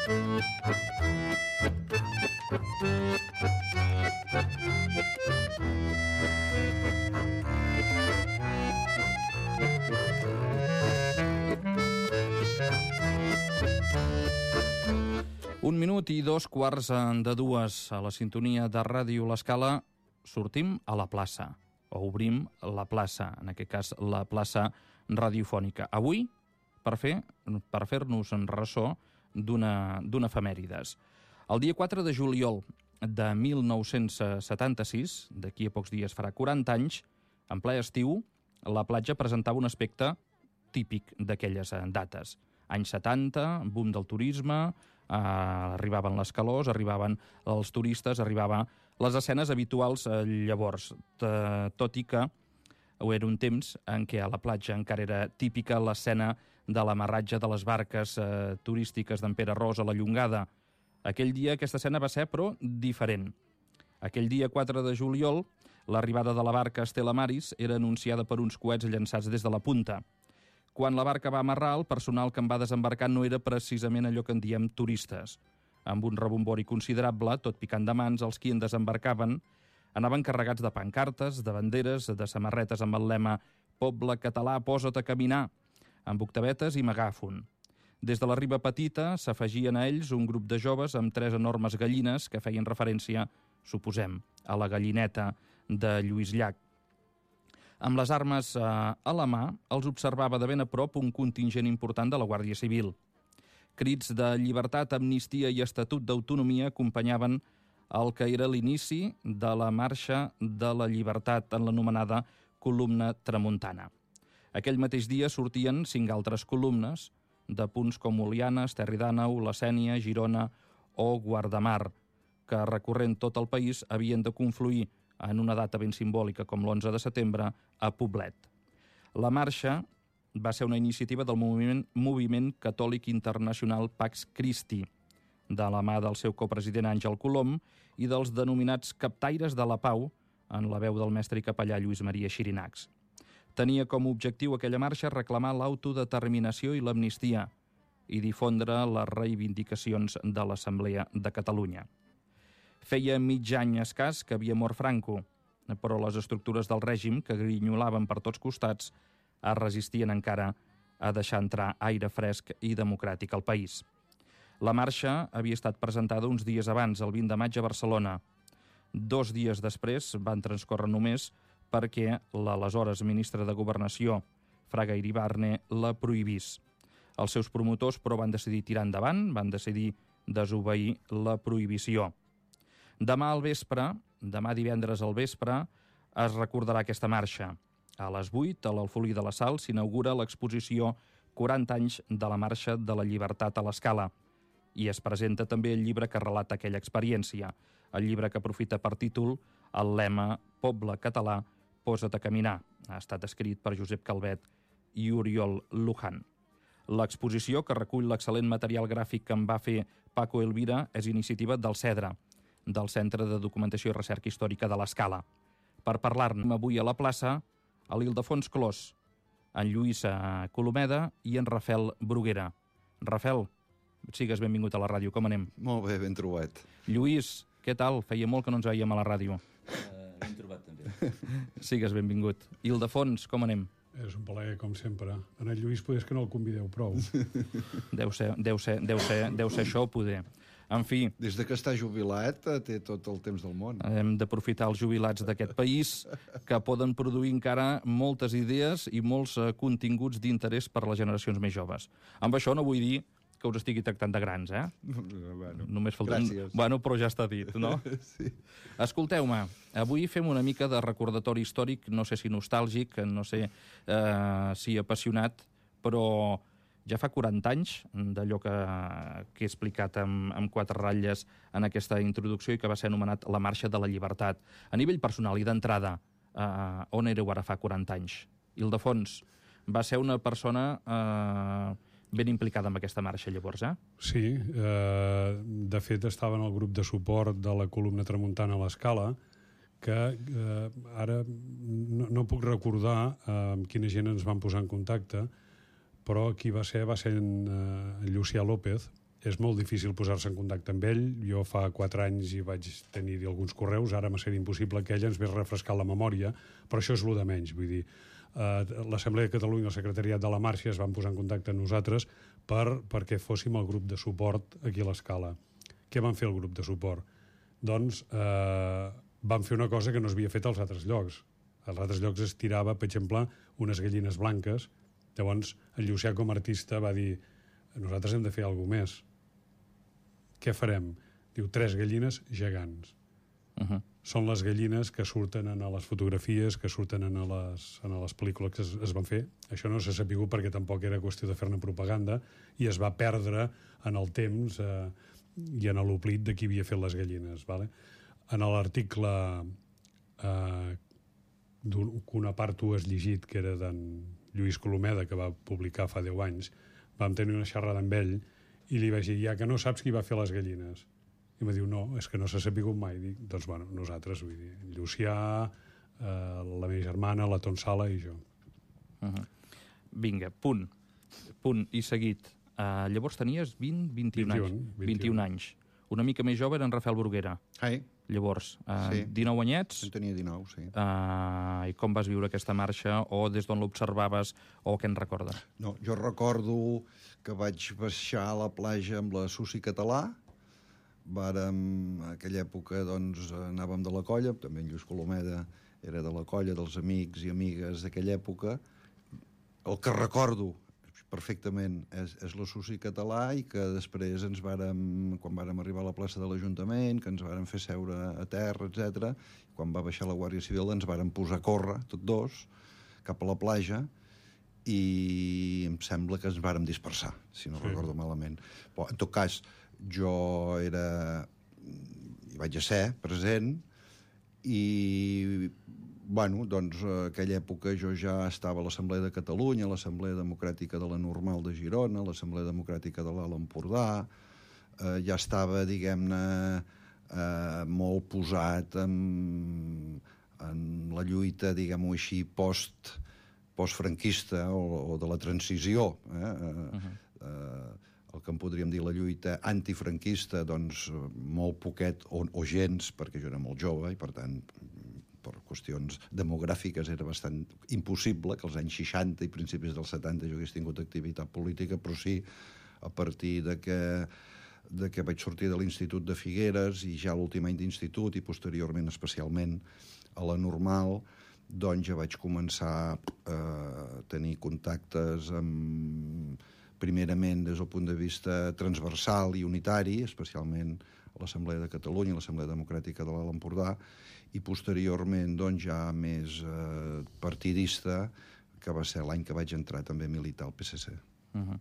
Un minut i 2:15 a la sintonia de Ràdio L'Escala. Sortim a la plaça, o obrim la plaça, en aquest cas la plaça radiofònica. Avui, per fer-nos en ressò d'una efemèrides. El dia 4 de juliol de 1976, d'aquí a pocs dies farà 40 anys, en ple estiu, la platja presentava un aspecte típic d'aquelles dates. Anys 70, boom del turisme, arribaven les calors, arribaven els turistes, arribaven les escenes habituals llavors, tot i que era un temps en què a la platja encara era típica l'escena de l'amarratge de les barques turístiques d'en Pere Ros a la Llongada. Aquell dia aquesta escena va ser, però, diferent. Aquell dia 4 de juliol, l'arribada de la barca Estela Maris era anunciada per uns coets llançats des de la punta. Quan la barca va amarrar, el personal que en va desembarcar no era precisament allò que en diem turistes. Amb un rebombori considerable, tot picant de mans, els qui en desembarcaven anaven carregats de pancartes, de banderes, de samarretes amb el lema «Poble català, posa't a caminar», amb octavetes i megàfon. Des de la riba petita s'afegien a ells un grup de joves amb 3 enormes gallines que feien referència, suposem, a la gallineta de Lluís Llach. Amb les armes a la mà, els observava de ben a prop un contingent important de la Guàrdia Civil. Crits de llibertat, amnistia i estatut d'autonomia acompanyaven el que era l'inici de la marxa de la llibertat en l'anomenada columna tramuntana. Aquell mateix dia sortien 5 altres columnes de punts com Oliana, Esterri d'Àneu, la Sénia, Girona o Guardamar, que recorrent tot el país havien de confluir en una data ben simbòlica com l'11 de setembre a Poblet. La marxa va ser una iniciativa del moviment catòlic internacional Pax Christi, de la mà del seu copresident Àngel Colom i dels denominats captaires de la pau, en la veu del mestre i capellà Lluís Maria Xirinacs. Tenia com a objectiu aquella marxa reclamar l'autodeterminació i l'amnistia i difondre les reivindicacions de l'Assemblea de Catalunya. Feia mig any escàs que havia mort Franco, però les estructures del règim, que grinyolaven per tots costats, es resistien encara a deixar entrar aire fresc i democràtic al país. La marxa havia estat presentada uns dies abans, el 20 de maig a Barcelona. 2 dies després van transcórrer només perquè l'aleshores ministre de Governació, Fraga Iribarne, la prohibís. Els seus promotors, però, van decidir tirar endavant, van decidir desobeir la prohibició. Demà divendres al vespre, es recordarà aquesta marxa. A les 8, a l'Alfolí de la Sal, s'inaugura l'exposició 40 anys de la Marxa de la Llibertat a l'Escala i es presenta també el llibre que relata aquella experiència, el llibre que aprofita per títol el lema «Poble català, posa't a caminar». Ha estat escrit per Josep Calvet i Oriol Luján. L'exposició, que recull l'excel·lent material gràfic que en va fer Paco Elvira, és iniciativa del CEDRA, del Centre de Documentació i Recerca Històrica de l'Escala. Per parlar-ne avui a la plaça, a l'Ildefons Clos, en Lluís Colomeda i en Rafel Bruguera. Rafel, sigues benvingut a la ràdio, com anem? Molt bé, ben trobat. Lluís, què tal? Feia molt que no ens veiem a la ràdio. Ben trobat, també. Sigues benvingut. Ildefons, com anem? És un plaer, com sempre. En el Lluís potser és que no el convideu prou. Deu ser això, poder. En fi... Des de que està jubilat té tot el temps del món. Hem d'aprofitar els jubilats d'aquest país que poden produir encara moltes idees i molts continguts d'interès per a les generacions més joves. Amb això no vull dir que us estigui tractant de grans, eh? Bueno, només falta gràcies. Bueno, però ja està dit, no? Sí. Escolteu-me, avui fem una mica de recordatori històric, no sé si nostàlgic, no sé si apassionat, però ja fa 40 anys d'allò que he explicat amb 4 ratlles en aquesta introducció i que va ser anomenat la Marxa de la Llibertat. A nivell personal i d'entrada, on éreu ara fa 40 anys? Ildefons, va ser una persona ben implicada en aquesta marxa, llavors, eh? Sí, de fet estava en el grup de suport de la columna tramuntana a l'Escala, que ara no puc recordar amb quina gent ens van posar en contacte, però qui va ser en Llucià López, és molt difícil posar-se en contacte amb ell. Jo fa 4 anys hi vaig tenir alguns correus, ara m'ha sigut impossible que ell ens hagués refrescat la memòria, però això és el de menys, vull dir. L'Assemblea de Catalunya i el Secretariat de la Marxa es van posar en contacte amb nosaltres perquè fóssim el grup de suport aquí a l'Escala. Què van fer el grup de suport? Doncs van fer una cosa que no s'havia fet als altres llocs. Als altres llocs es tirava, per exemple, unes gallines blanques. Llavors, el Llucià com a artista va dir: nosaltres hem de fer alguna més. Què farem? Diu, 3 gallines gegants. Són les gallines que surten en les fotografies, que surten en les pel·lícules que es van fer. Això no s'ha sapigut perquè tampoc era qüestió de fer-ne propaganda i es va perdre en el temps i en l'oblit de qui havia fet les gallines. Vale? En l'article que una part tu has llegit, que era d'en Lluís Colomeda, que va publicar fa 10 anys, vam tenir una xerrada amb ell i li vaig dir, ja que no saps qui va fer les gallines. I em diu, no, és que no s'ha sapigut mai. Dic, doncs, bueno, nosaltres, vull dir, Llucià, la meva germana, la Tonsala i jo. Vinga, punt i seguit. Llavors tenies 21 anys. Una mica més jove era en Rafael Bruguera. Ai, Llavors, sí. 19 anyets. En tenia 19, sí. I com vas viure aquesta marxa, o des d'on l'observaves, o què en recordes? No, jo recordo que vaig baixar a la platja amb la Susi Català. En aquella època, doncs, anàvem de la colla, també en Lluís Colomeda era de la colla, dels amics i amigues d'aquella època. El que recordo perfectament és la Susi Català, i que després quan vàrem arribar a la plaça de l'Ajuntament, que ens vàrem fer seure a terra, etc. Quan va baixar la Guàrdia Civil ens vàrem posar a córrer, tots dos, cap a la platja, i em sembla que ens vàrem dispersar, si no recordo malament. Però, en tot cas, jo hi vaig ser present, i bueno, doncs, aquella època jo ja estava a l'Assemblea de Catalunya, a l'Assemblea Democràtica de la Normal de Girona, a l'Assemblea Democràtica de l'Alt Empordà, ja estava, diguem-ne, molt posat en la lluita, diguem-ho així, postfranquista o de la transició. El que en podríem dir la lluita antifranquista, doncs molt poquet o gens, perquè jo era molt jove i, per tant, per qüestions demogràfiques era bastant impossible que als anys 60 i principis dels 70 jo hagués tingut activitat política, però sí, a partir de que vaig sortir de l'Institut de Figueres i ja l'últim any d'institut i posteriorment especialment a la Normal, doncs ja vaig començar a tenir contactes primerament des del punt de vista transversal i unitari, especialment a l'Assemblea de Catalunya, a l'Assemblea Democràtica de l'Alt Empordà, i posteriorment doncs, ja més partidista, que va ser l'any que vaig entrar també a militar al PSC. D'en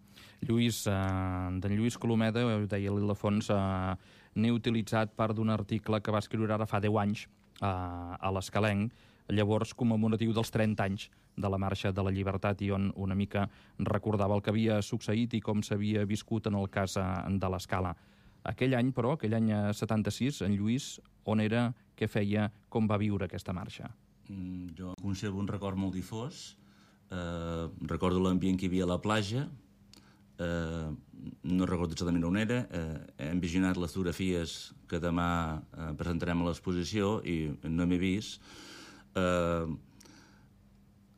Lluís Colomeda, ho deia l'Ildefons, n'he utilitzat part d'un article que va escriure ara fa 10 anys a l'Escalenc, llavors commemoratiu dels 30 anys de la Marxa de la Llibertat, i on una mica recordava el que havia succeït i com s'havia viscut en el cas de l'Escala. Aquell any, però, aquell any 76, en Lluís, on era, què feia, com va viure aquesta marxa? Jo conservo un record molt difós. Recordo l'ambient que hi havia a la platja. No recordo exactament on era. Hem visionat les fotografies que demà presentarem a l'exposició i no m'he vist.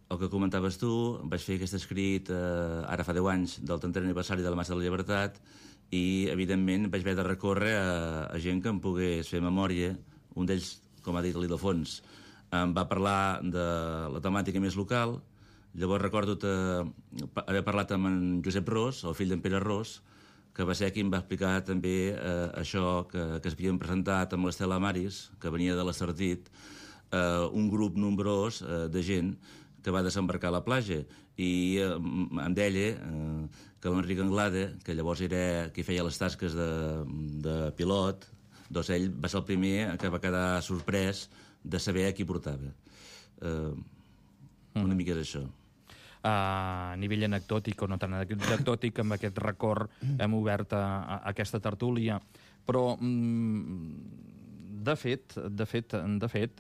El que comentaves tu, vaig fer aquest escrit ara fa 10 anys del 30è aniversari de la Marxa de la Llibertat, i evidentment vaig haver de recórrer a gent que em pogués fer memòria. Un d'ells, com ha dit l'Ildefons, em va parlar de la temàtica més local. Llavors recordo haver parlat amb en Josep Ros, el fill d'en Pere Ros, que va ser qui em va explicar també això que es havien presentat amb l'Estela Maris, que venia de l'Estartit, un grup nombrós de gent que va desembarcar a la platja, i em deia que l'Enric Anglada, que llavors era qui feia les tasques de pilot, doncs ell va ser el primer que va quedar sorprès de saber a qui portava. Una mica és això. A nivell anecdòtic o no tan anecdòtic, amb aquest record hem obert aquesta tertúlia, però de fet,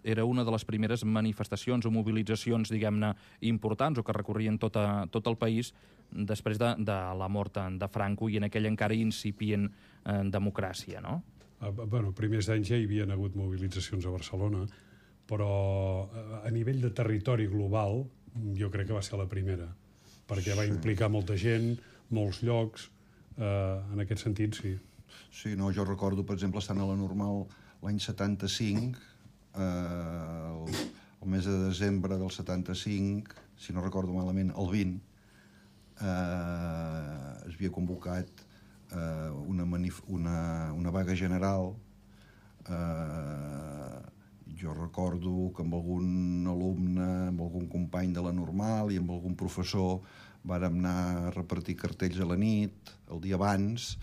era una de les primeres manifestacions o mobilitzacions, diguem-ne, importants o que recorrien tot el país després de la mort de Franco i en aquella encara incipient democràcia, no? Bueno, primers anys ja hi havia hagut mobilitzacions a Barcelona, però a nivell de territori global jo crec que va ser la primera, perquè va implicar molta gent, molts llocs, en aquest sentit, sí. Sí, no, jo recordo, per exemple, estant a la Normal l'any 75, el mes de desembre del 75, si no recordo malament, el 20, es havia convocat una vaga general. Jo recordo que amb algun alumne, amb algun company de la Normal i amb algun professor vàrem anar a repartir cartells a la nit, el dia abans,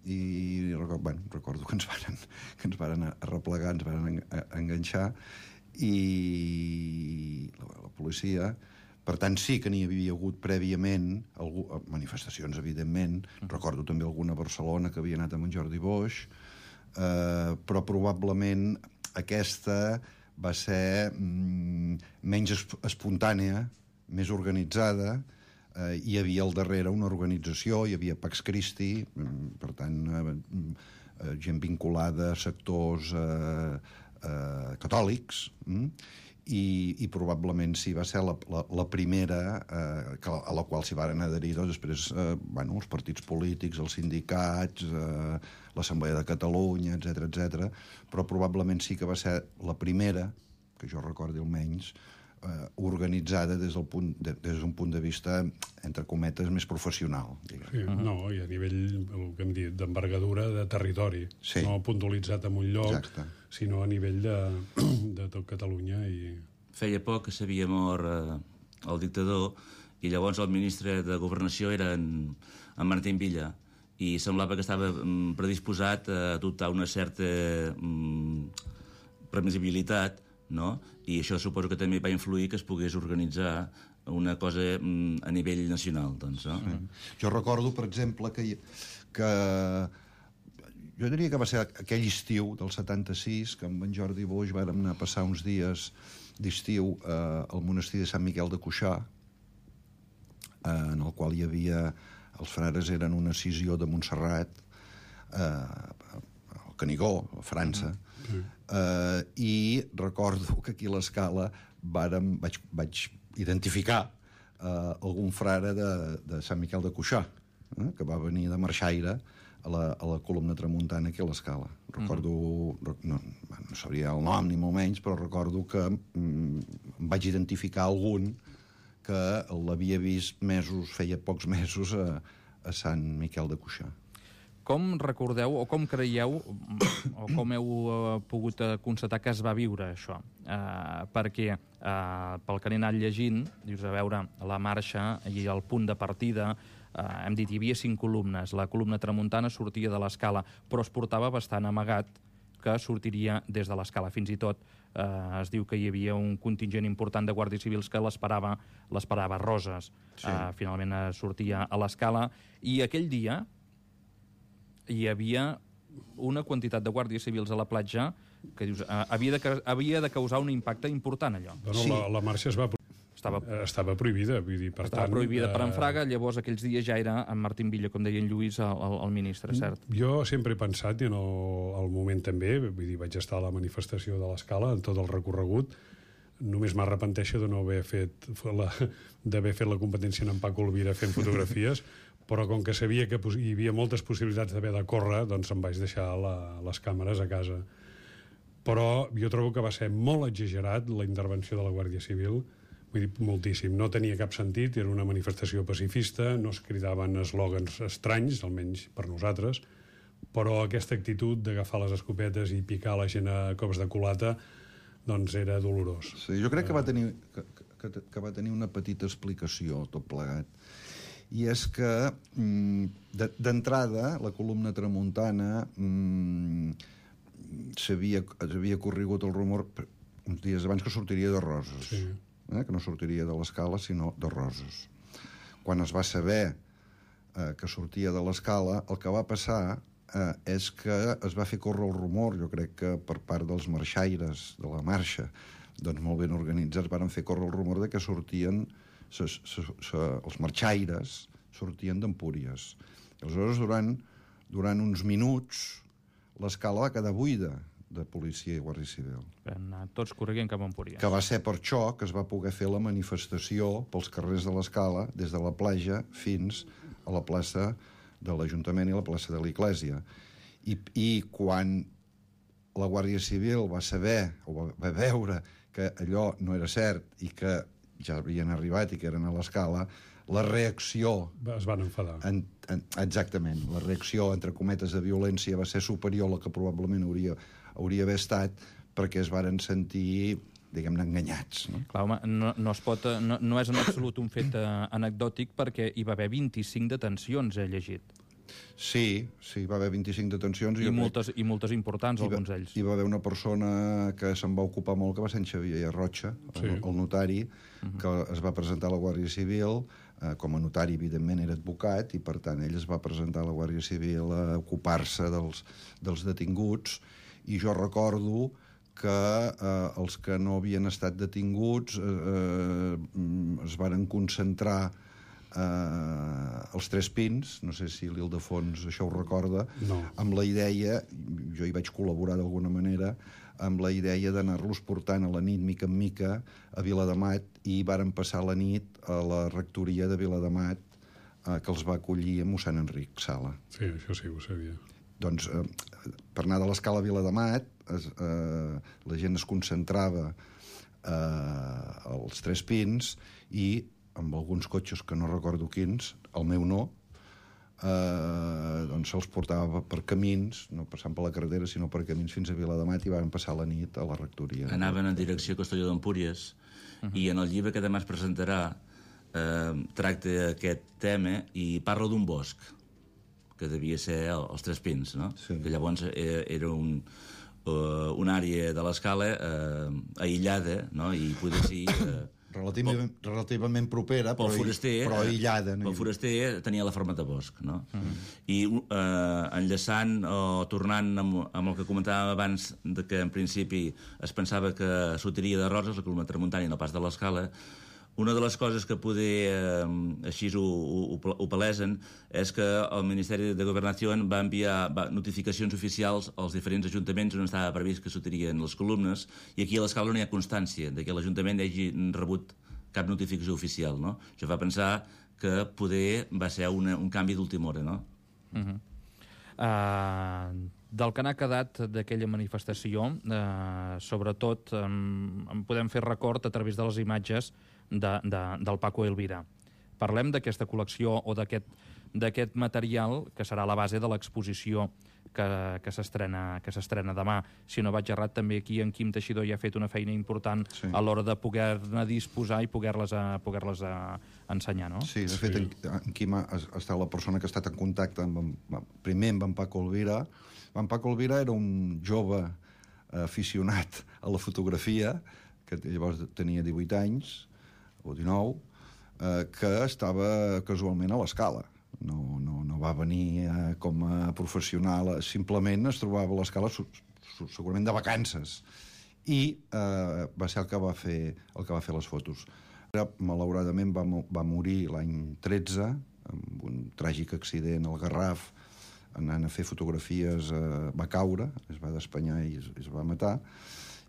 i recordo que ens varen arreplegar, ens varen enganxar, i la policia... Per tant, sí que n'hi havia hagut prèviament manifestacions, evidentment. Recordo també alguna a Barcelona que havia anat amb en Jordi Boix, però probablement aquesta va ser menys espontània, més organitzada. Hi havia al darrere una organització, hi havia Pax Christi, per tant, gent vinculada a sectors catòlics, i probablement sí, va ser la primera a la qual s'hi varen adherir després els partits polítics, els sindicats, l'Assemblea de Catalunya, etc. Però probablement sí que va ser la primera, que jo recordi almenys, organitzada des d'un punt de vista, entre cometes, més professional. Sí, no, i a nivell, el que hem dit, d'envergadura de territori, no puntualitzat en un lloc, sinó a nivell de tot Catalunya. Feia poc que s'havia mort el dictador i llavors el ministre de Governació era en Martín Villa i semblava que estava predisposat a adoptar una certa previsibilitat, no? I això suposo que també va influir que es pogués organitzar una cosa a nivell nacional, doncs, no? Jo recordo, per exemple, que jo diria que va ser aquell estiu del 76, que amb en Jordi Boix vàrem anar a passar uns dies d'estiu al monestir de Sant Miquel de Cuixà, en el qual hi havia... Els frares eren una escissió de Montserrat, al Canigó, a França, i recordo que aquí a l'Escala vaig identificar algun frare de Sant Miquel de Cuixà, que va venir de marxaire a la columna tramuntana aquí a l'Escala. Recordo, no sabria el nom ni molt menys, però recordo que vaig identificar algun que l'havia vist feia pocs mesos a Sant Miquel de Cuixà. Com recordeu, o com creieu, o com heu pogut constatar que es va viure això? Perquè pel que he anat llegint, dius, a veure, la marxa i el punt de partida, hem dit, hi havia 5 columnes. La columna tramuntana sortia de l'Escala, però es portava bastant amagat que sortiria des de l'Escala. Fins i tot es diu que hi havia un contingent important de guàrdies civils que l'esperava a Roses. Finalment sortia a l'Escala. I aquell dia hi havia una quantitat de guàrdies civils a la platja que dius, havia de causar un impacte important, allò. La marxa estava prohibida, vull dir, per tant... Estava prohibida per en Fraga, llavors aquells dies ja era en Martín Villa, com deia en Lluís, el ministre, cert? Jo sempre he pensat, i en el moment també, vull dir, vaig estar a la manifestació de l'Escala, en tot el recorregut, només m'arrepenteixo de no haver fet la competència en Paco Elvira fent fotografies, però com que sabia que hi havia moltes possibilitats d'haver de córrer, doncs em vaig deixar les càmeres a casa. Però jo trobo que va ser molt exagerat la intervenció de la Guàrdia Civil, vull dir, moltíssim. No tenia cap sentit, era una manifestació pacifista, no es cridaven eslògans estranys, almenys per nosaltres, però aquesta actitud d'agafar les escopetes i picar la gent a cops de culata, doncs era dolorós. Sí, jo crec que va tenir una petita explicació, tot plegat. I és que, d'entrada, la columna tramuntana s'havia corregut el rumor uns dies abans que sortiria de Roses. Sí. Que no sortiria de l'Escala, sinó de Roses. Quan es va saber que sortia de l'Escala, el que va passar és que es va fer córrer el rumor, jo crec que per part dels marxaires de la marxa, doncs molt ben organitzats, van fer córrer el rumor de que sortien els marxaires, sortien d'Empúries. Aleshores, durant uns minuts, l'escala va quedar buida de policia i guàrdia civil. Van anar tots corrent cap a Empúries. Que va ser per això que es va poder fer la manifestació pels carrers de l'escala, des de la platja fins a la plaça de l'Ajuntament i la plaça de l'Església. I quan la Guàrdia Civil va saber, o va veure que allò no era cert i que ja havien arribat i que eren a l'escala, la reacció... Es van enfadar. Exactament. La reacció, entre cometes, de violència va ser superior a la que probablement hauria d'haver estat, perquè es varen sentir, diguem-ne, enganyats. No? Clar, home, no és en absolut un fet anecdòtic, perquè hi va haver 25 detencions, he llegit. Sí, va haver 25 detencions. I moltes importants, alguns d'ells. Hi va haver una persona que se'n va ocupar molt, que va ser en Xavier Rocha, el notari, que es va presentar a la Guàrdia Civil. Com a notari, evidentment, era advocat, i per tant ell es va presentar a la Guàrdia Civil a ocupar-se dels detinguts, i jo recordo que els que no havien estat detinguts es varen concentrar els Tres Pins, no sé si l'Ildefons això ho recorda, amb la idea, jo hi vaig col·laborar d'alguna manera, amb la idea d'anar-los portant a la nit, mica en mica, a Viladamat, i varen passar la nit a la rectoria de Viladamat, que els va acollir a mossèn Enric Sala. Sí, això sí, ho sabia. Doncs, per anar de l'escala a Viladamat, la gent es concentrava als Tres Pins, i amb alguns cotxes que no recordo quins, el meu no, doncs se'ls portava per camins, no passant per la carretera, sinó per camins fins a Viladamat, i van passar la nit a la rectoria. Anaven en direcció a Castelló d'Empúries, i en el llibre que demà es presentarà tracta aquest tema i parla d'un bosc, que devia ser els Tres Pins, no? Sí. Que llavors era una àrea de l'escala aïllada, no? I poder ser... relativament propera, però aïllada. El foraster tenia la forma de bosc, no? I enllaçant o tornant amb el que comentàvem abans, de que en principi es pensava que sortiria de Roses, la columna tramuntana i no pas de l'escala, una de les coses que poder així ho palesen és que el Ministeri de Governació va enviar notificacions oficials als diferents ajuntaments on estava previst que sortirien les columnes, i aquí a l'escala no hi ha constància de que l'Ajuntament hagi rebut cap notificació oficial, no? Això fa pensar que poder va ser un canvi d'última hora, no? Del que n'ha quedat d'aquella manifestació, sobretot en podem fer record a través de les imatges del Paco Elvira. Parlem d'aquesta col·lecció o d'aquest material que serà la base de l'exposició que s'estrena demà. Si no vaig errat, també aquí en Quim Teixidor ja ha fet una feina important a l'hora de poder-ne disposar i poder-les ensenyar, no? Sí, de fet, en Quim ha estat la persona que ha estat en contacte primer amb en Paco Elvira. En Paco Elvira era un jove aficionat a la fotografia, que llavors tenia 18 anys, o 19, que estava casualment a l'escala. No va venir com a professional, simplement es trobava a l'escala segurament de vacances, i va ser el que va fer les fotos. Malauradament va morir l'any 13 amb un tràgic accident al Garraf, anant a fer fotografies, va caure, es va despenyar i es va matar,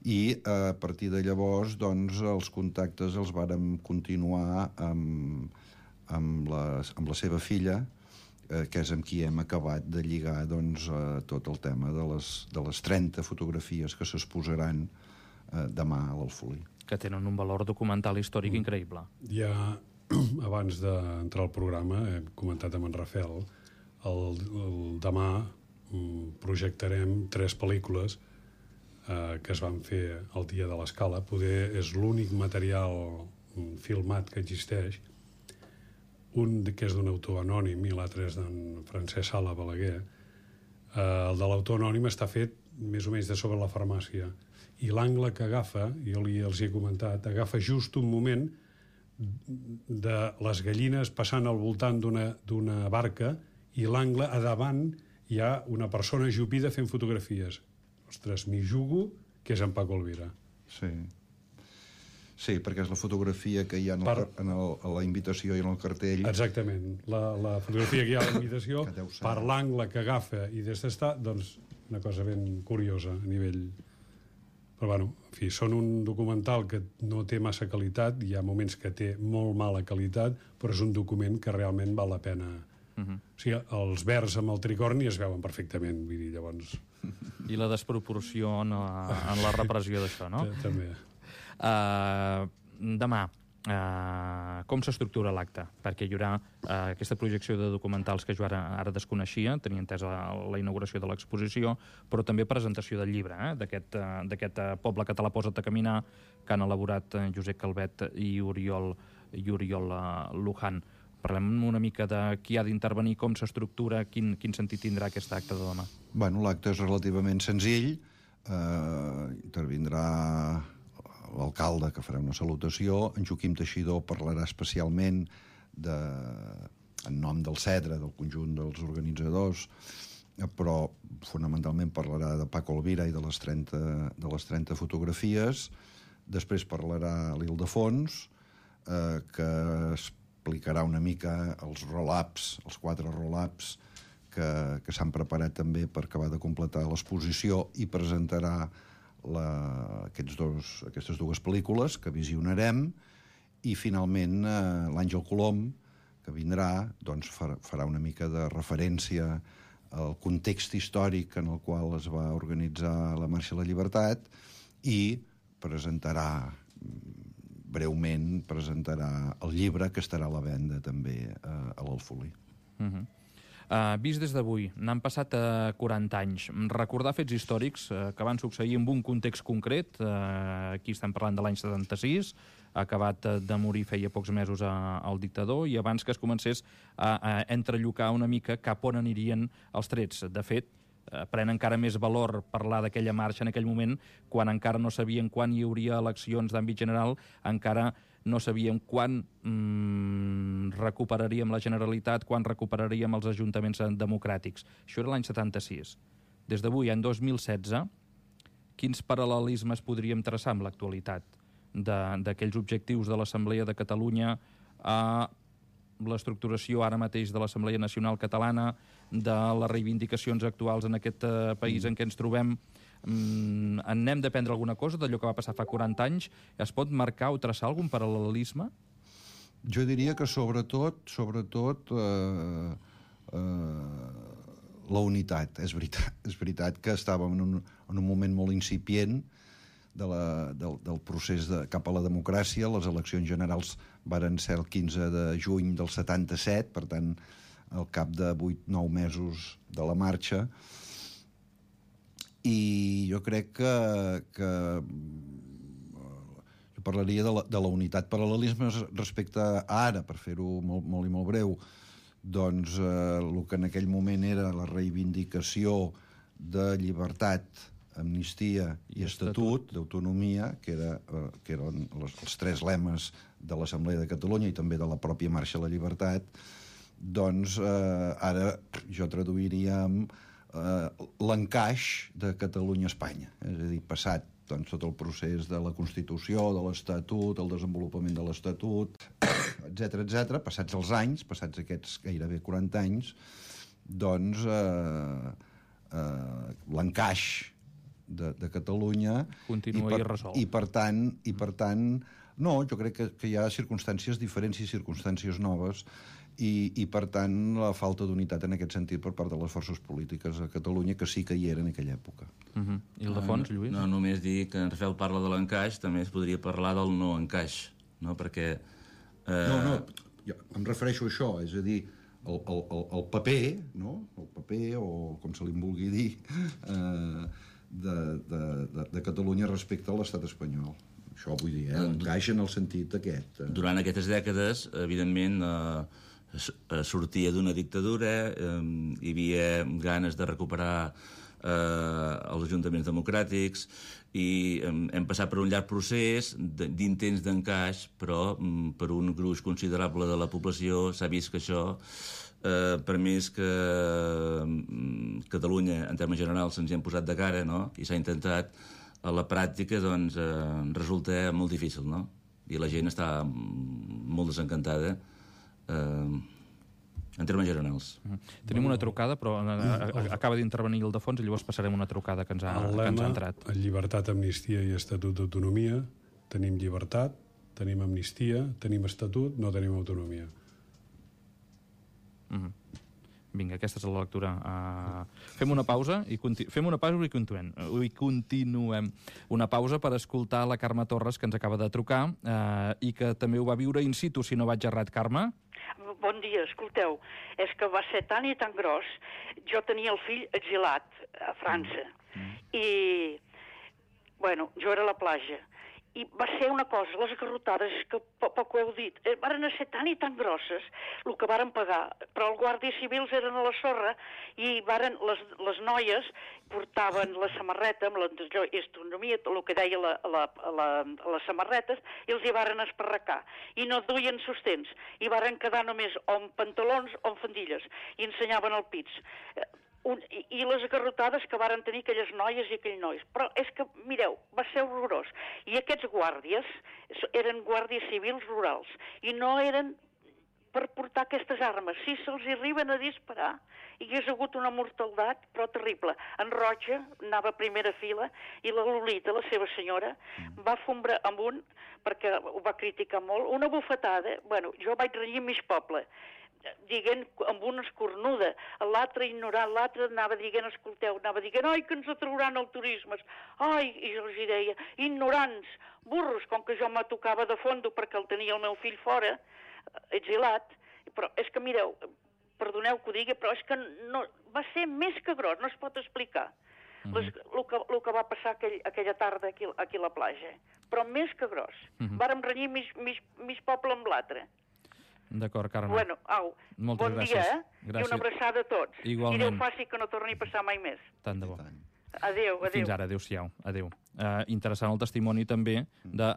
i a partir de llavors doncs, els contactes els vàrem continuar amb la seva filla, que és amb qui hem acabat de lligar doncs, tot el tema de les 30 fotografies que s'exposaran demà a l'Alfolí. Que tenen un valor documental històric increïble. Ja, abans d'entrar al programa, hem comentat amb en Rafael, demà projectarem 3 pel·lícules que es van fer el dia de l'escala. Poder és l'únic material filmat que existeix, un que és d'un autor anònim i l'altre és d'en Francesc Sala Balaguer. El de l'autor anònim està fet més o menys de sobre la farmàcia, i l'angle que agafa, jo els he comentat, agafa just un moment de les gallines passant al voltant d'una barca, i l'angle a davant hi ha una persona ajupida fent fotografies. Ostres, m'hi jugo que és en Paco Elvira. Sí. Sí, perquè és la fotografia que hi ha a la invitació i en el cartell. Exactament. La fotografia que hi ha a la invitació, per l'angle que agafa i des d'estar, doncs una cosa ben curiosa a nivell... Però, bueno, en fi, són un documental que no té massa qualitat, hi ha moments que té molt mala qualitat, però és un document que realment val la pena. O sigui, els verds amb el tricorni es veuen perfectament, vull dir, llavors... I la desproporció en la repressió d'això, no? També. Demà, com s'estructura l'acte? Perquè hi haurà aquesta projecció de documentals que jo ara desconeixia, tenia entesa la inauguració de l'exposició, però també presentació del llibre, d'aquest Poble català posa't a caminar, que han elaborat Josep Calvet i Oriol Luján. Parlem una mica de qui ha d'intervenir, com s'estructura, quin sentit tindrà aquest acte de demà. Bueno, l'acte és relativament senzill. Intervindrà l'alcalde, que farà una salutació. En Joaquim Teixidor parlarà especialment en nom del CEDRA, del conjunt dels organitzadors, però fonamentalment parlarà de Paco Elvira i de les 30 fotografies. Després parlarà l'Ildefons, que explicarà una mica els roll-ups, els 4 roll-ups que s'han preparat també per acabar de completar l'exposició, i presentarà aquestes dues pel·lícules que visionarem, i finalment l'Àngel Colom, que vindrà, doncs farà una mica de referència al context històric en el qual es va organitzar la Marxa a la Llibertat, i breument presentarà el llibre, que estarà a la venda també a l'Alfolí. Vist des d'avui, n'han passat 40 anys. Recordar fets històrics que van succeir en un context concret, aquí estem parlant de l'any 76, ha acabat de morir feia pocs mesos el dictador, i abans que es comencés a entrellocar una mica cap on anirien els trets. De fet, pren encara més valor parlar d'aquella marxa en aquell moment, quan encara no sabien quan hi hauria eleccions d'àmbit general, encara no sabíem quan recuperaríem la Generalitat, quan recuperaríem els ajuntaments democràtics. Això era l'any 76. Des d'avui, any 2016, quins paral·lelismes podríem traçar amb l'actualitat d'aquells objectius de l'Assemblea de Catalunya a l'estructuració ara mateix de l'Assemblea Nacional Catalana, de les reivindicacions actuals en aquest país en què ens trobem? En n'hem d'aprendre alguna cosa d'allò que va passar fa 40 anys? Es pot marcar o traçar algun paral·lelisme? Jo diria que sobretot la unitat. És veritat que estàvem en un moment molt incipient del procés cap a la democràcia. Les eleccions generals varen ser el 15 de juny del 77, per tant, al cap de 8-9 mesos de la marxa. I jo crec que jo parlaria de la unitat. Paral·lelismes respecte a ara, per fer-ho molt i molt breu, doncs el que en aquell moment era la reivindicació de llibertat, amnistia i estatut d'autonomia, que eren els 3 lemes de l'Assemblea de Catalunya i també de la pròpia Marxa a la Llibertat, doncs ara jo traduiria amb l'encaix de Catalunya a Espanya. És a dir, passat tot el procés de la Constitució, de l'Estatut, el desenvolupament de l'Estatut, etc., passats els anys, passats aquests gairebé 40 anys, doncs l'encaix de Catalunya continua irresolt. I per tant, no, jo crec que hi ha circumstàncies diferents i circumstàncies noves, i per tant la falta d'unitat en aquest sentit per part de les forces polítiques a Catalunya, que sí que hi era en aquella època. I el de fons, Lluís? No, només dir que en Rafael parla de l'encaix, també es podria parlar del no encaix, no? Perquè... No, jo em refereixo a això, és a dir, el paper, no? El paper, o com se li vulgui dir, de Catalunya respecte a l'estat espanyol. Això vull dir, encaix en el sentit aquest. Durant aquestes dècades, evidentment, sortia d'una dictadura, hi havia ganes de recuperar els ajuntaments democràtics, i hem passat per un llarg procés d'intents d'encaix, però per un gruix considerable de la població s'ha vist que això, per més que Catalunya, en termes generals, se'ns hi han posat de cara, no? I s'ha intentat, a la pràctica, doncs, resulta molt difícil, no? i la gent està molt desencantada en termes generals. Tenim una trucada, però acaba d'intervenir el de fons i llavors passarem una trucada que ens ha entrat. Llibertat, amnistia i estatut d'autonomia. Tenim llibertat, tenim amnistia, tenim estatut, no tenim autonomia. Vinga, aquesta és la lectura. Fem una pausa i continuem. Una pausa per escoltar la Carme Torres, que ens acaba de trucar i que també ho va viure in situ, si no vaig errat, Carme. Bon dia, escolteu, és que va ser tan i tan gros. Jo tenia el fill exilat a França i, bueno, jo era a la platja. I va ser una cosa, les garrotades, que poc ho heu dit, varen ser tan i tan grosses el que varen pagar, però els guàrdies civils eren a la sorra i les noies portaven la samarreta amb l'autonomia, el que deia les samarretes, i els hi varen esparracar. I no duien sostens, i varen quedar només o amb pantalons o amb faldilles, i ensenyaven el pits. I les garrotades que varen tenir aquelles noies i aquells nois. Però és que, mireu, va ser horrorós. I aquests guàrdies eren guàrdies civils rurals i no eren per portar aquestes armes. Si se'ls arriben a disparar, hi hagués hagut una mortaldat, però terrible. En Roja anava a primera fila i la Lolita, la seva senyora, va fombrar amunt, perquè ho va criticar molt, una bufetada. Bueno, jo vaig renyir mig poble, dient amb una escornuda, l'altre ignorant, l'altre anava dient, escolteu, anava dient, ai, que ens atrauran el turisme, ai, i jo els deia, ignorants, burros, com que jo me tocava de fondo perquè el tenia el meu fill fora, exilat, però és que, mireu, perdoneu que ho digui, però és que no, va ser més que gros, no es pot explicar el que va passar aquella tarda aquí a la platja, però més que gros. Vàrem renyir mig poble amb l'altre. D'acord, Carme. Bueno, au, moltes bon gràcies. Dia, Gràcies. I una abraçada a tots. Igualment. I Déu faci que no torni a passar mai més. Tant de bo. Adéu. Fins ara, adéu-siau. Adéu. Interessant el testimoni també de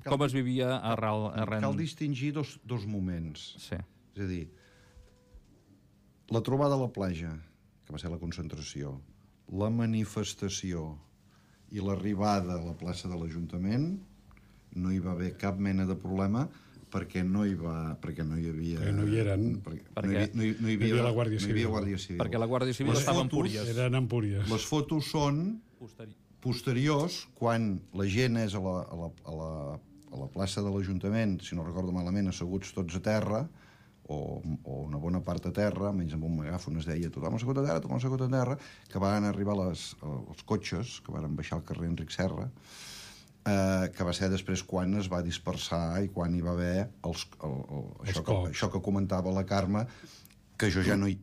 com es vivia arrel... Cal distingir dos moments. Sí. És a dir, la trobada a la platja, que va ser la concentració, la manifestació i l'arribada a la plaça de l'Ajuntament, no hi va haver cap mena de problema perquè no hi havia... Perquè no hi eren. No hi havia la Guàrdia Civil. Perquè la Guàrdia Civil estava en Púries. Eren en Púries. Les fotos són posteriors, quan la gent és a la plaça de l'Ajuntament, si no recordo malament, asseguts tots a terra, o una bona part a terra, menys amb un megàfon es deia tothom assegut a terra, que van arribar els cotxes, que van baixar al carrer Enric Serra, que va ser després quan es va dispersar i quan hi va haver això que comentava la Carme, que jo ja no hi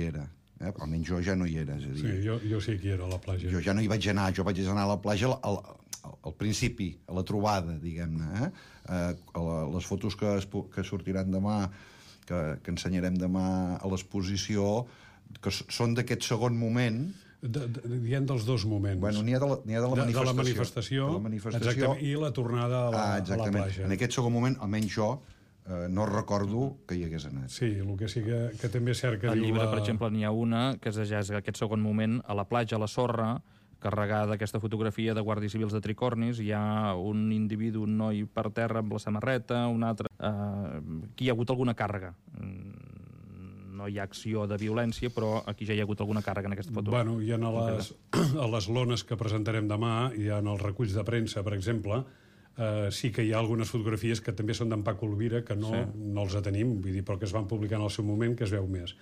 era. Almenys jo ja no hi era. És a dir, sí, jo sí que hi era a la platja. Jo ja no hi vaig anar, jo vaig anar a la platja al principi, a la trobada, diguem-ne. Les fotos que sortiran demà, que ensenyarem demà a l'exposició, que són d'aquest segon moment. Dient dels dos moments. Bueno, n'hi ha de la manifestació. Exactament, i la tornada a la platja. En aquest segon moment, almenys jo, no recordo que hi hagués anat. Sí, el que sí que també és cert que al llibre, per exemple, n'hi ha una que és aquest segon moment, a la platja, a la sorra, carregada aquesta fotografia de guàrdies civils de tricornis, hi ha un individu, un noi per terra amb la samarreta, un altre... Aquí hi ha hagut alguna càrrega. No hi ha acció de violència, però aquí ja hi ha hagut alguna càrrega en aquesta foto. Bueno, hi ha a les lones que presentarem demà, hi ha els reculls de premsa, per exemple, sí que hi ha algunes fotografies que també són d'en Paco Elvira, que no els tenim, vull dir, però que es van publicar en el seu moment, que es veu més.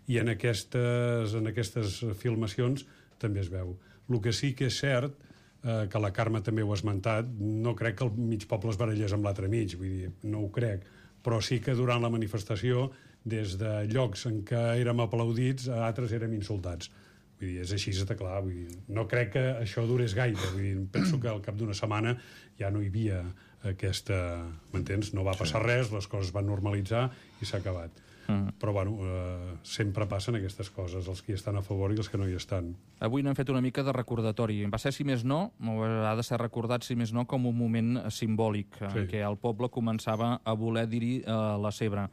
I en aquestes filmacions també es veu. El que sí que és cert, que la Carme també ho ha esmentat, no crec que el mig poble es barallés amb l'altre mig, vull dir, no ho crec, però sí que durant la manifestació, des de llocs en què érem aplaudits, a altres érem insultats. Vull dir, és així, està clar. Vull dir, no crec que això durés gaire. Vull dir, penso que al cap d'una setmana ja no hi havia aquesta... M'entens? No va passar res, les coses van normalitzar i s'ha acabat. Però, bueno, sempre passen aquestes coses, els que hi estan a favor i els que no hi estan. Avui n'hem fet una mica de recordatori. Va ser, si més no, ha de ser recordat, si més no, com un moment simbòlic, en què el poble començava a voler dir la seva,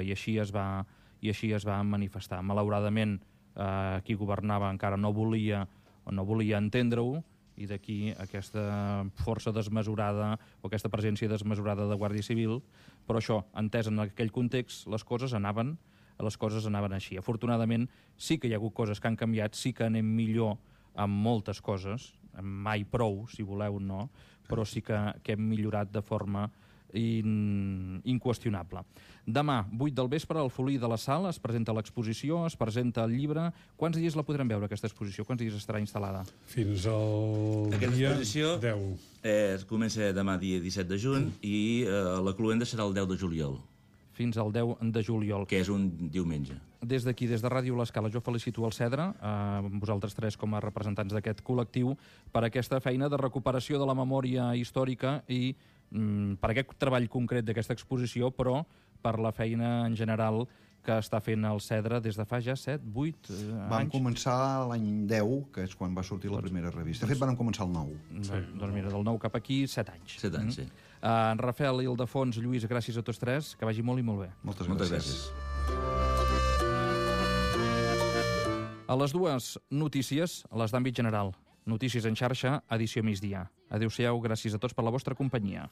i així es va manifestar. Malauradament, qui governava encara no volia entendre-ho, i d'aquí aquesta força desmesurada o aquesta presència desmesurada de Guàrdia Civil, però això, entès en aquell context, les coses anaven així. Afortunadament, sí que hi ha hagut coses que han canviat, sí que anem millor amb moltes coses, mai prou, si voleu, no, però sí que hem millorat de forma inqüestionable. Demà, 8 del vespre, al Folí de la Sala, es presenta l'exposició, es presenta el llibre. Quants dies la podrem veure, aquesta exposició? Quants dies estarà instal·lada? Fins al dia 10. Comença demà, dia 17 de juny, i la cloenda serà el 10 de juliol. Fins al 10 de juliol. Que és un diumenge. Des d'aquí, des de Ràdio L'Escala, jo felicito el Cedre, vosaltres tres com a representants d'aquest col·lectiu, per aquesta feina de recuperació de la memòria històrica i per aquest treball concret d'aquesta exposició, però per la feina en general que està fent el Cedre des de fa ja 7, 8 anys. Vam començar l'any 10, que és quan va sortir la primera revista. De fet, vam començar el 9. Doncs mira, del 9 cap aquí, 7 anys. 7 anys, sí. En Rafael, Ildefons, Lluís, gràcies a tots tres, que vagi molt i molt bé. Moltes gràcies. A les dues notícies, les d'àmbit general. Notícies en xarxa, edició migdia. Adéu-siau, gràcies a tots per la vostra companyia.